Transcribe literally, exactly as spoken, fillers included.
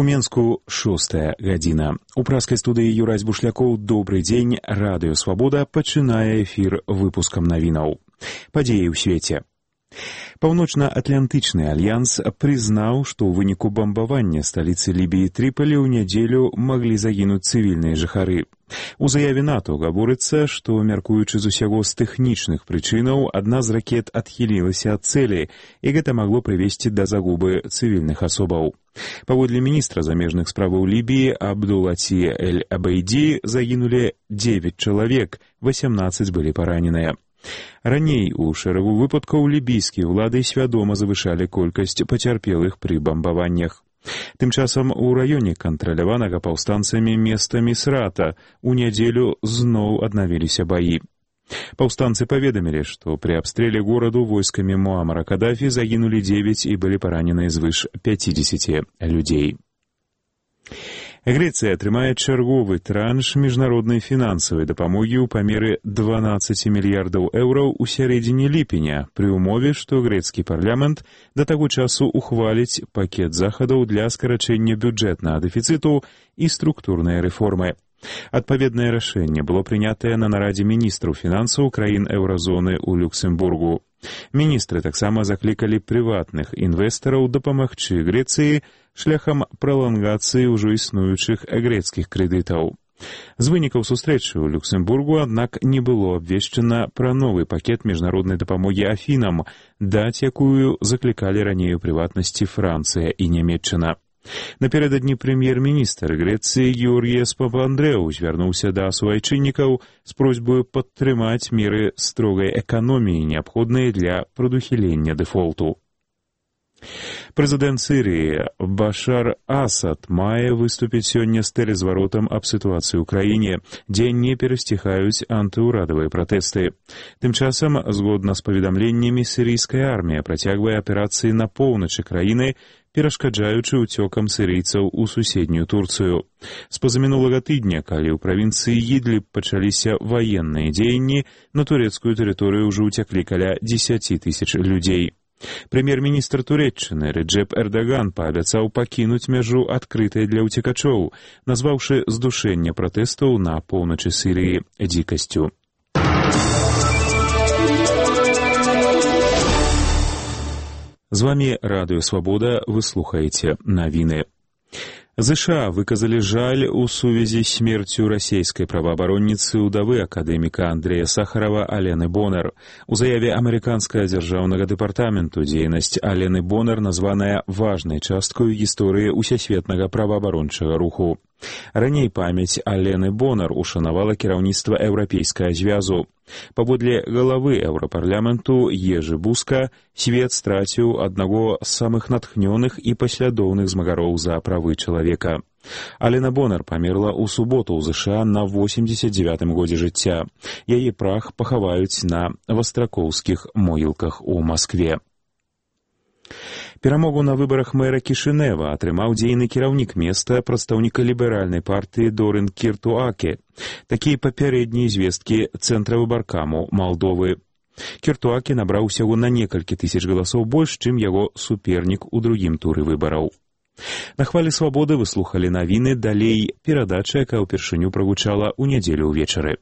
У Менску шостая гадзіна. У праскай студыі Юрась Бушлякоў. Добрый дзень. Радыё Свабода пачынае эфір выпускам навінаў. Падзеі ў свеце. Паўночна-атлантычны альянс прызнаў, што ў выніку бамбавання сталіцы Лібіі Трыполі ў нядзелю маглі загінуць цывільныя жыхары. У заяве НАТО гаворыцца, што, мяркуючы з усяго з тэхнічных прычынаў, адна з ракет адхілілася ад цэлі, і гэта магло прывесці да загубы цывільных асобаў. Паводле міністра замежных справаў Лібіі Абдулаці Эль-Абейді загінулі дзевяць чалавек, васямнаццаць былі параненыя. Раней у шэрагу выпадкаў лібійскія ўлады свядома завышалі колькасць пацярпелых пры бамбаваннях. Тым часам у раёне кантраляванага паўстанцамі места Місрата у нядзелю зноў аднавіліся баі. Паўстанцы паведамілі, што пры абстрэле гораду войскамі Муамара Кадафі загінулі дзевяць і былі паранены звыш пяцідзесяці людзей. Грэцыя атрымае чарговы транш міжнароднай фінансавай дапамогі ў памеры дванаццаць мільярдаў еўраў у сярэдзіне ліпеня, пры ўмове, што грэцкі парламент да таго часу ухваліць пакет захадаў для скарачэння бюджэтнага дэфіцыту і структурнай рэформы. Адпаведнае рашэнне было прынятае на нарадзе міністраў фінансаў краін еўразоны ў Люксембургу. Міністры таксама заклікалі прыватных інвестараў дапамагчы Грэцыі шляхам пралангацыі ўжо існуючых грэцкіх крэдытаў. З вынікаў сустрэчы ў Люксембургу, аднак, не было абвешчана пра новы пакет міжнароднай дапамогі Афінам, даць якую заклікалі раней у прыватнасці Францыя і Нямецчына. Напярэдадні прэм'ер-міністр Грэцыі Георгіяс Папандрэу звярнуўся да суайчыннікаў з просьбаю падтрымаць меры строгай эканоміі, неабходныя для прадухілення дэфолту. Прэзідэнт Сірыі Башар Асад мае выступіць сёння з тэлезваротам аб сітуацыі ў краіне, дзе не перасціхаюць антыўрадавыя пратэсты. Тым часам, згодна з паведамленнямі, сірыйская армія працягвае аперацыі на поўначы краіны, перашкаджаючы ўцёкам сірыйцаў у суседнюю Турцыю. З пазамінулага тыдня, калі ў правінцыі Ідліб пачаліся ваенныя дзеянні, на турэцкую тэрыторыю ўжо ўцяклі каля дзесяці тысяч людзей. Прэм'ер-міністр Турэччыны Рэджэп Эрдаган паабяцаў пакінуць мяжу адкрытай для ўцекачоў, назваўшы здушэнне пратэстаў на поўначы Сірыі дзікасцю. З вамі Радыё Свабода, вы слухаеце навіны. ЗША выказалі жаль у сувязі з смерцю расійскай праваабаронніцы ўдавы акадэміка Андрэя Сахарова Алены Бонар. У заяве амерыканскага дзяржаўнага дэпартаменту дзейнасць Алены Бонар названая важнай часткаю гісторыі ўсесветнага праваабарончага руху. Раней памяць Алены Бонар ушанавала кіраўніцтва Еўрапейскага звязу. Паводле галавы Еўрапарламенту Ежы Буска, свет страціў аднаго з самых натхнёных і паслядоўных змагароў за правы чалавека. Алена Бонар памерла ў суботу ў ЗША на восемьдесят девятым годзе жыцця. Яе прах пахаваюць на вастракоўскіх могілках у Маскве. Перамогу на выбарах мэра Кішынева атрымаў дзейны кіраўнік места, прадстаўніка ліберальнай партыі Дорын Кіртуаке. Такія папярэднія звесткі Цэнтра выбаркаму Малдовы. Кіртуаке набраў усяго на некалькі тысяч галасоў больш, чым яго супернік у другім туры выбараў. На хвалі свабоды вы слухалі навіны, далей перадача, якая ўпершыню прагучала ў нядзелю ўвечары.